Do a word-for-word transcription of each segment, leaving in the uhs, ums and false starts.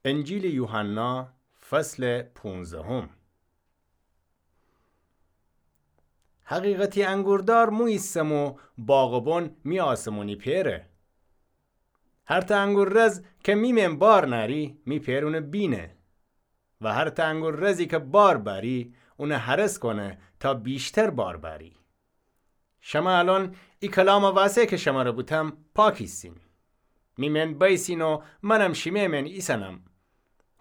انجیلٚ یوحنا، فصلٚ پونزدهم. حقیقتی انگوردار مو ایسم و باغبون می آسمونی پئره. هر تأ انگور رز کی می مئن بار نأری، می پئر اونٚ بینه. و هر تأ انگور رزی کی بار بأری، اونٚ هرس کونه تا ویشتر بار بأری. شمأ الأن ای کلامٚ وأسه کی شمره بوتم پاک ایسین. می مئن بأیسین و منم شیمه مئن ایسنم.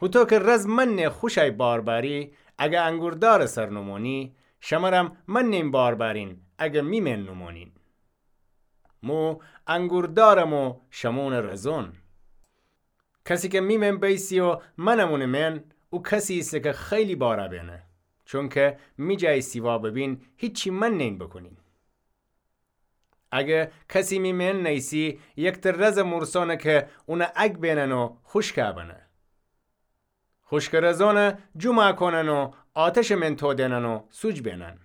هوطو کی رز منٚ خوشأی بار بأری، اگر انگوردارٚ سر نومونی، شمرم منٚن بار بأرین، اگر می مئن نومونین. مو انگوردارم و شمون رزون. کسی کی می مئن بأیسی و منم اونٚ مئن، او کسی ایسه کی خیلی بارا بینه. چونکی می جای سیوا ببین، هیچی منین بوکونین. اگر کسی می مئن نیسی، یکتأ رزٚ مورسانه کی اون اگ بینن و خوشکا بنه. خوشکٚ رزانه جومأ کونن و آتشٚ مئن تودینن و سوج بینن.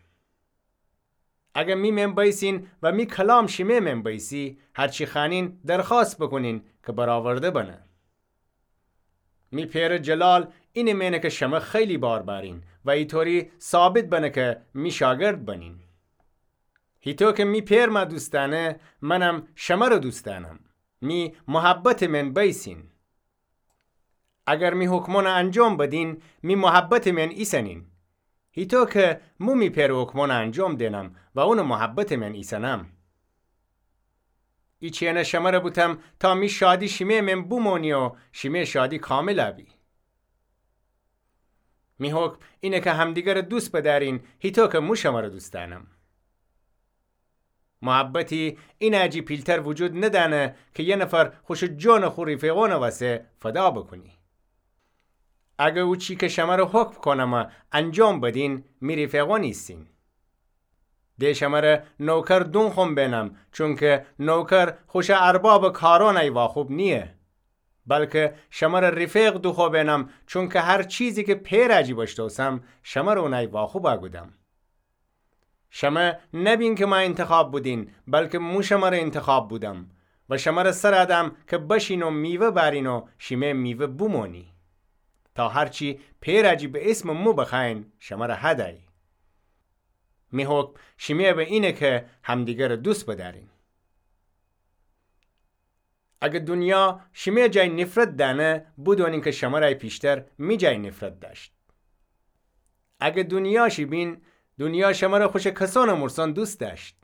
اگر می مئن بأیسین و می کلام شیمه مئن بأیسی، هرچی خوأنین درخوأست بوکونین کی برآورده بنه. می پئرٚ جلال اینٚ مئنه کی شمأ خیلی بار بأرین و ایطوری ثابت بنه کی می شاگرد بنین. هیطو کی می پئر مأ دوست دأنه، منم شمره دوست دأنم. می محبتٚ مئن بأیسین. اگر می حکمانه انجام بدین، می محبتٚ مئن ایسنین. هیطو کی مو می پئرٚ حکمانه انجام دینم و اونٚ محبتٚ مئن ایسنم. ایچینه شمره بوتم تا می شادی شیمه مئن بومونی و شیمه شادی کاملا بی. می حکم اینه کی همدیگره دوست بدأرین، هیطو کی مو شمره دوست دأنم. محبتی اینأ جی پیلتر وجود ندأنه کی یه نفر خوشٚ جونٚ خو ریفیقونٚ وسه فدا بوکونی. اگر او چی کی شمره حکم کونمه انجام بدین، می ریفیقون ایسین. د شمره نوکر دونخوم بینم، چونکی نوکر خوشٚ اربابٚ کارانأی واخوب نییه. بلکی شمره ریفیق دوخوأ بینم، چونکی هر چیزی کی پئرٚ جی بشتوسم، شمره اونأی واخوبأ گودم. شمه نبین کی مأ اینتخاب بودین، بلکی مو شمره اینتخاب بودم و شمره سرَ دم کی بشین و میوه بأرین و شیمه میوه بومونی، تا هرچی پئرٚ جی به اسمٚ مو بخوأیین، شمره هدی. می حکم شیمه به اینه کی همدیگره دوست بدأرین. اگر دونیا شیمه جای نفرت دأنه، بودونین کی شمرأی پیشتر می جای نفرت دأشت. اگر دونیا شی بین، دونیا شمره خوشٚ کسانٚ مورسان دوست دأشت.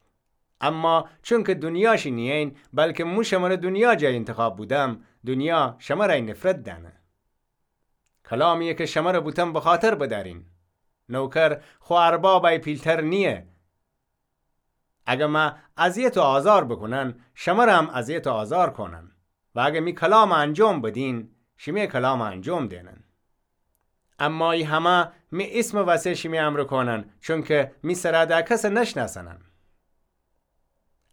اما چونکی دونیا شی نیین، بلکی مو شمره دونیا جای اینتخاب بودم، دونیا شمرأی نفرت دأنه. کلامیی کی شمره بوتم بخاطر بدأرین. نوکر خو اربابأی پیلتر نییه. اگر مأ اذیت و آزار بوکونن، شمرم اذیت و آزار کونن. و اگر می کلامَ انجام بدین، شیمی کلامَ انجام دینن. اما ای همه می اسمٚ وسه شیمی امرأ کونن، چونکی می سرَ دأ کسَ نشنأسنن.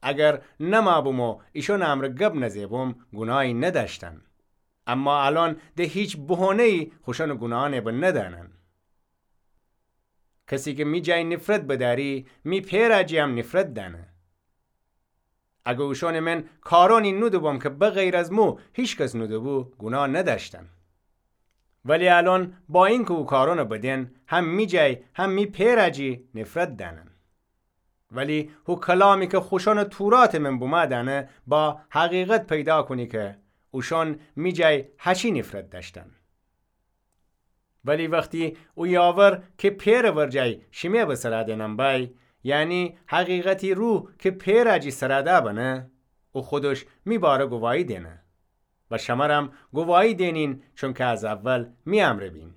اگر نمأ بوم و ایشأنٚ امرأ گب نزه بوم، گوناهی ندأشتن. اما الأن د هیچ بهونه‌یی خوشأنٚ گوناهأنَ به ندأنن. کسی کی می جای نفرت بدأری، می پئرٚ جی هم نفرت دأنه. اگر اوشأنٚ من کارأنی نودوبوم کی بغیر از مو هیکس نودوبو، گوناه ندأشتن. ولی الأن با اینکی او کارأنَ بدن، هم می جای هم می پئرٚ جی نفرت دأنن. ولی هو کلامی کی خوشأنٚ توراتٚ من بومأ دأنه، با حقیقت پیدا کونی کی اوشأن می جای هچی نفرت دأشتن. ولی وختی او یاور کی پئرٚ ورجه شیمی به سرَ دئنم بأی، یعنی حقیقتی روح کی پئرٚ جی سرَ دأ بنه، او خودش می باره گواهی دئنه. و شمرم گواهی دئنین، چونکی از اول می امرأ بین.